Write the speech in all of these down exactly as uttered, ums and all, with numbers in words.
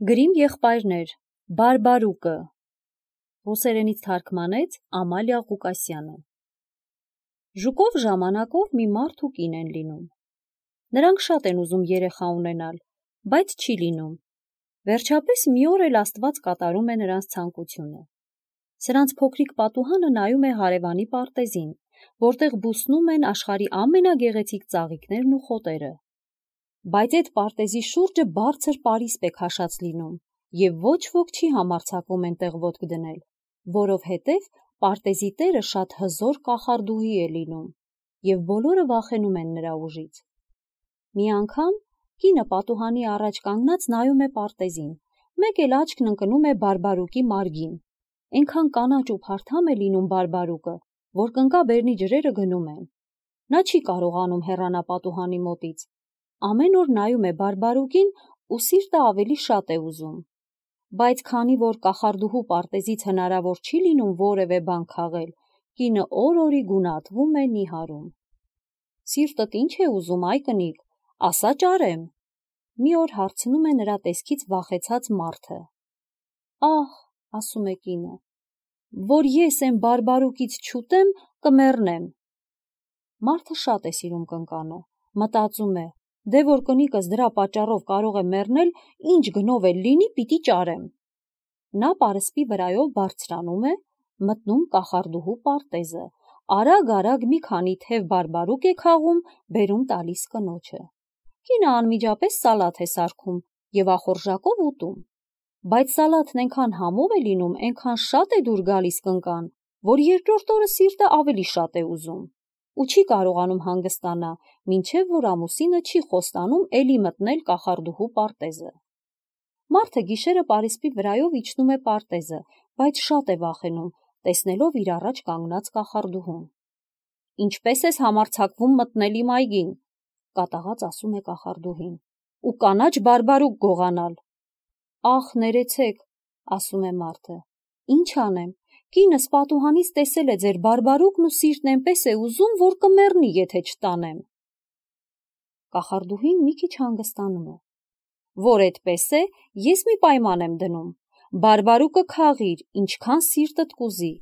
Գրիմ եղբայրներ, Բարբարուկը, ռուսերենից թարգմանեց Ամալիա Ղուկասյանը։ Ժուկով ժամանակով մի մարդ ու կին են լինում։ Նրանք շատ են ուզում երեխա ունենալ, բայց չի լինում։ Վերջապես մի օր էլ Աստված կատարում է նրանց ցանկությունը։ Սրանց փոքրիկ պատուհանը նայում է հարևանի պարտեզին, որտեղ բուսնում են աշխարհի ամենագեղեցիկ ծաղիկներն ու խոտերը։ Բայց այդ պարտեզի շուրջը բարձր պարիսպ է քաշած լինում, և ոչ ոք չի համարձակվում այնտեղ ոտք դնել, որովհետև պարտեզի տերը շատ հզոր կախարդուհի է լինում, և բոլորը վախենում են նրա ուժից։ Մի անգամ կինը պատուհանի առաջ կանգնած նայում է պարտեզին, մեկ էլ աչքն ընկնում է Բարբարուկի մարգին։ Այնքան կանաչ ու փարթամ է լինում Բարբարուկը, որ կնկա-բերնի ջրերը գնում են։ Նա չի կարողանում հեռանալ պատուհանի մոտից։ Ամեն օր նայում է Բարբարուկին ու սիրտը ավելի շատ է ուզում։ Բայց քանի որ կախարդուհու պարտեզից հնարավոր չի լինում որևէ բան քաղել, կինը օր-օրի գունատվում է, նիհարում։ Սիրտդ ինչ է ուզում, այ կնիկ, ասա ճարեմ։ Մի օր հարցնում է նրա տեսքից վախեցած մարդը։ Ահ, ասում է կինը, որ ես այն Բարբարուկից չուտեմ, կմեռնեմ։ Մարդը շատ է սիրում կնկանը, մտածում է, դե որ կնիկս դրա պատճառով կարող է մեռնել, ինչ գնով էլ լինի, պիտի ճարեմ։ Նա պարսպի վրայով բարձրանում է, մտնում կախարդուհու պարտեզը, արագ-արագ մի քանի թև բարբարուկ է քաղում, բերում տալիս կնոջը։ Կինը անմիջապես սալաթ է սարքում և ախորժակով ուտում։ Բայց սալաթն այնքան համով է լինում, այնքան շատ է դուր գալիս կնկան, որ երկրորդ օրը սիրտը ավելի շատ է ուզում ու չի կարողանում հանգստանա, մինչև որ ամուսինը չի խոստանում էլի մտնել կախարդուհու պարտեզը։ Մարդը գիշերը պարիսպի վրայով իջնում է պարտեզը, բայց շատ է վախենում, տեսնելով իր առաջ կանգնած կախարդուհուն։ Ինչպես ես համարձակվում մտնել իմ այգին, կատաղած ասում է կախարդուհին, ու կանաչ բարբարուկ գողանալ։ Ախ, ներեցեք, ասում է մարդը, ինչ անեմ, կինս պատուհանից տեսել է ձեր բարբարուկն ու սիրտն այնպես է ուզում, որ կմեռնի, եթե չտանեմ։ Կախարդուհին մի քիչ հանգստանում է։ Որ այդպես է, ես մի պայման եմ դնում, բարբարուկը քաղիր, ինչքան սիրտդ կուզի,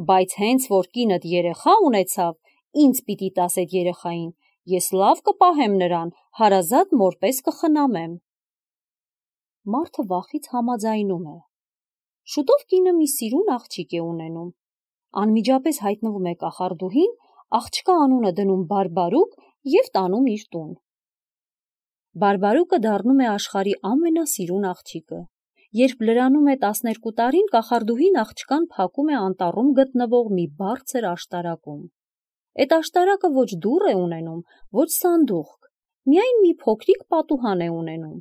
բայց հենց որ կինդ երեխա ունեցավ, ինձ պիտի տաս այդ երեխային, ես լավ կպահեմ նրան, հարազատ մորպես կխնամեմ։ Մարդը վախից համաձայնում է։ Շուտով կինը մի սիրուն աղջիկ է ունենում։ Անմիջապես հայտնվում է կախարդուհին, աղջկա անունը դնում Բարբարուկ և տանում իր տուն։ Բարբարուկը դառնում է աշխարհի ամենասիրուն աղջիկը։ Երբ լրանում է տասներկու տարին, կախարդուհին աղջկան փակում է անտառում գտնվող մի բարձր աշտարակում։ Այդ աշտարակը ոչ դուռ է ունենում, ոչ սանդուղք, միայն մի փոքրիկ պատուհան է ունենում։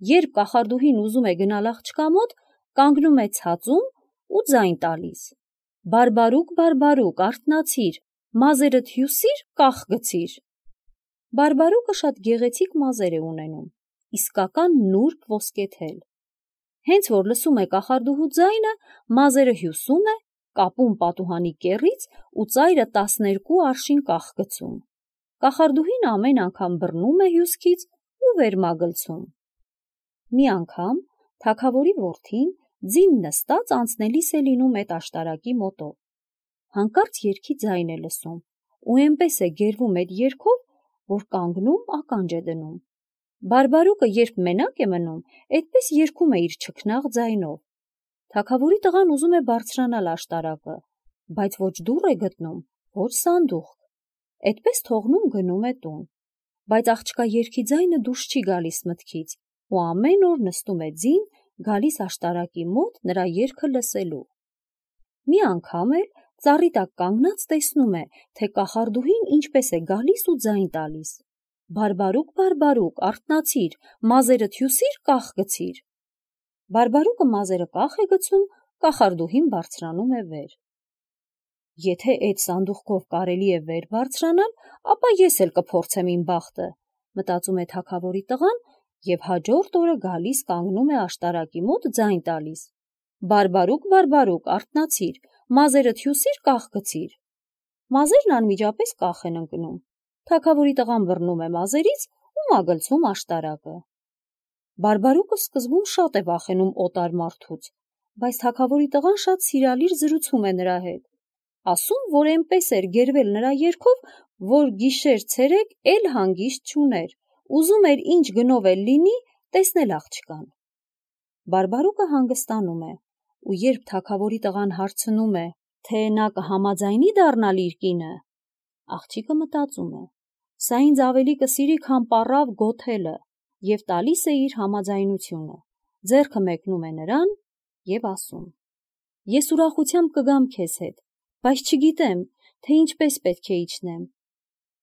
Երբ կախարդուհին ուզում է գնալ աղջկա մոտ, կանգնում է ցածում ու ձայն տալիս. Բարբարուկ, Բարբարուկ, արթնացիր, մազերդ հյուսիր, կախ գցիր։ Բարբարուկը շատ գեղեցիկ մազեր է ունենում, իսկական նուրբ ոսկեթել։ Հենց որ լսում է կախարդուհու ձայնը, մազերը հյուսում է, կապում պատուհանի կեռից ու ծայրը տասներկու արշին կախ գցում։ Կախարդուհին ամեն անգամ բռնում է հյուսքից ու վերմագլցում։ Մի անգամ թագավորի որդին ձին նստած անցնելիս է լինում այդ աշտարակի մոտով։ Հանկարծ երգի ձայն է լսում ու այնպես է գերվում այդ երգով, որ կանգնում ականջ է դնում։ Բարբարուկը երբ մենակ է մնում, այդպես երգում է իր չքնաղ ձայնով։ Թագավորի տղան ուզում է բարձրանալ աշտարակը, բայց ոչ դուռ է գտնում, ոչ սանդուղք։ Այդպես թողնում գնում է տուն։ Բայց աղջկա երգի ձայնը դուրս չի գալիս մտքից ու ամեն օր նստում է ձին, գալիս աշտարակի մոտ նրա երգը լսելու։ Մի անգամ էլ ծառի տակ կանգնած տեսնում է, թե կախարդուհին ինչպես է գալիս ու ձայն տալիս. Բարբարուկ, Բարբարուկ, արթնացիր, մազերդ հյուսիր, կախ գցիր։ Բարբարուկը մազերը կախ է գցում, կախարդուհին բարձրանում է վեր։ Եթե այդ սանդուղքով կարելի է վեր բարձրանալ, ապա ես էլ կփորձեմ իմ բախտը, մտածում է թագավորի տղան և հաջորդ օրը գալիս կանգնում է աշտարակի մոտ ձայն տալիս. Բարբարուկ, Բարբարուկ, արթնացիր, մազերդ հյուսիր, կախ գցիր։ Մազերն անմիջապես կախ են ընկնում։ Թագավորի տղան բռնում է մազերից ու մագլցում աշտարակը։ Բարբարուկը սկզբում շատ է վախենում օտար մարդուց, բայց թագավորի տղան շատ սիրալիր զրուցում է նրա հետ, ասում, որ այնպես էր գերվել նրա երգով, որ գիշեր-ցերեկ էլ հանգիստ չուներ, ուզում էր ինչ գնով էլ լինի, տեսնել աղջկան։ Բարբարուկը հանգստանում է, ու երբ թագավորի տղան հարցնում է, թե նա կհամաձայնի դառնալ իր կինը, աղջիկը մտածում է, սա ինձ ավելի կսիրի, քան պառավ գոթելը, և տալիս է իր համաձայնությունը, ձեռքը մեկնում է նրան և ասում. Ես ուրախությամբ կգամ քեզ հետ, բայց չգիտեմ, թե ինչպես պետք է իջնեմ։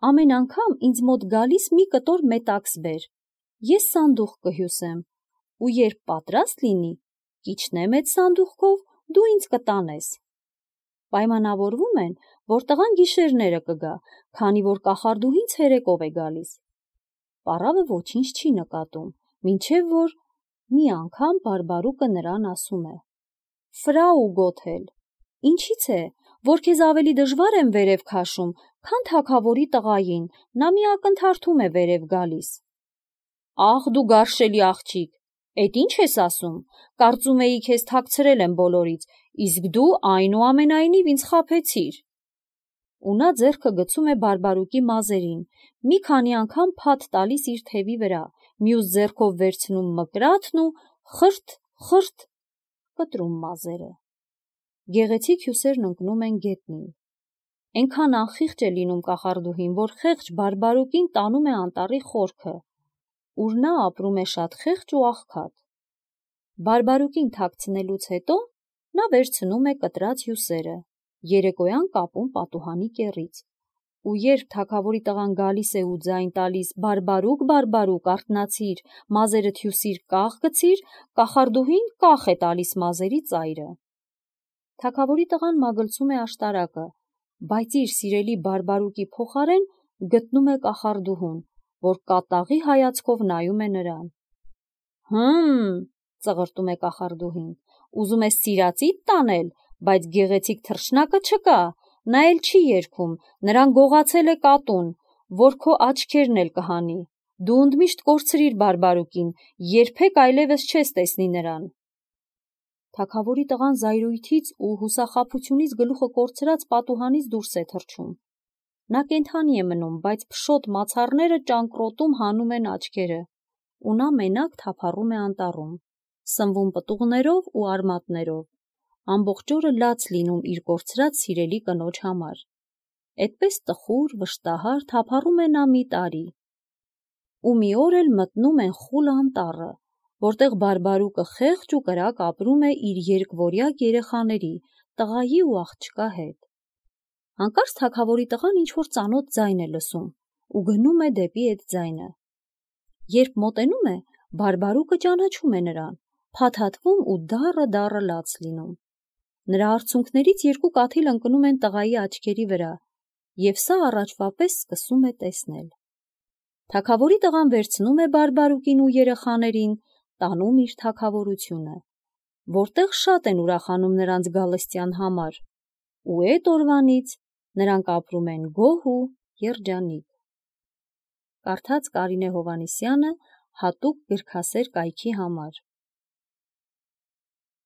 Ամեն անգամ ինձ մոտ գալիս մի կտոր մետաքս բեր, ես սանդուղք կհյուսեմ, ու երբ պատրաստ լինի, կիջնեմ այդ սանդուղքով, դու ինձ կտանես։ Պայմանավորվում են, որ տղան գիշերները կգա, քանի որ կախարդուհին ցերեկով է գալիս։ Պառավը ոչինչ չի նկատում, մինչև որ մի անգամ Բարբարուկը նրան ասում է. Ֆրաու Գոթել, ինչի՞ց է, որ քեզ ավելի դժվար եմ վերև քաշում, քան թագավորի տղային, նա մի ակնթարթում է վերև գալիս։ Ախ դու գարշելի աղջիկ, էդ ինչ ես ասում, կարծում էի քեզ թաքցրել եմ բոլորից, իսկ դու այնուամենայնիվ ինձ խաբեցիր։ Ու նա ձեռքը գցում է Բարբարուկի մազերին, մի քանի անգամ փաթ տալիս իր թևի վրա, մյուս ձեռքով վերցնում մկրատն ու խրտ, խրտ կտրում մազերը։ Գեղեցիկ հյուսերն ընկնում են գետնին։ Այնքան անխիղճ է լինում կախարդուհին, որ խեղճ Բարբարուկին տանում է անտառի խորքը, ուր նա ապրում է շատ խեղճ ու աղքատ։ Բարբարուկին թաքցնելուց հետո նա վերցնում է կտրած հյուսերը, երեկոյան կապում պատուհանի կեռից, ու երբ թագավորի տղան գալիս է ու ձայն տալիս Բարբարուկ, Բարբարուկ, արթնացիր, մազերդ հյուսիր, կաղ գցիր, կախարդուհին կախ է տալիս մազերի ծայրը։ Թագավորի տղան մագլցում է աշտարակը, բայց իր սիրելի Բարբարուկի փոխարեն գտնում է կախարդուհուն, որ կատաղի հայացքով նայում է նրան։ Հմ, ծղրտում է կախարդուհին, ուզում ես սիրածիդ տանել, բայց գեղեցիկ թռչնակը չկա, նա էլ չի երգում, նրան գողացել է կատուն, որ քո աչքերն էլ կհանի, դու ընդմիշտ կորցրիր Բարբարուկին, երբեք այլևս չես տեսնի նրան։ Թագավորի տղան զայրույթից ու հուսախաբությունից գլուխը կորցրած պատուհանից դուրս է թռչում։ Նա կենդանի է մնում, բայց փշոտ մացառները ճանկռոտում հանում են աչքերը, ու նա մենակ թափառում է անտառում, սնվում պտուղներով ու արմատներով, ամբողջ օրը լաց լինում իր կորցրած սիրելի կնոջ համար։ Էդպես տխուր, վշտահար թափառում է նա մի տարի։ Ու մի օր էլ մտնում են խուլ անտառը, որտեղ Բարբարուկը խեղճ ու կրակ ապրում է իր երկվորյակ երեխաների, տղայի ու աղջկա հետ։ Հանկարծ թագավորի տղան ինչ-որ ծանոթ ձայն է լսում ու գնում է դեպի այդ ձայնը։ Երբ մոտենում է, Բարբարուկը ճանաչում է նրան, փաթաթվում ու դառը-դառը լաց լինում։ Նրա արցունքներից երկու կաթիլ ընկնում են տղայի աչքերի վրա, և սա առաջվա պես սկսում է տեսնել։ Թագավորի տղան վերցնում է Բարբարուկին ու երեխաներին, տանում իր թագավորությունը, որտեղ շատ են ուրախանում նրանց գալստյան համար, ու էդ օրվանից նրանք ապրում են գոհ ու երջանիկ։ Կարդաց Կարինե Հովհաննիսյանը հատուկ գրքասեր կայքի համար։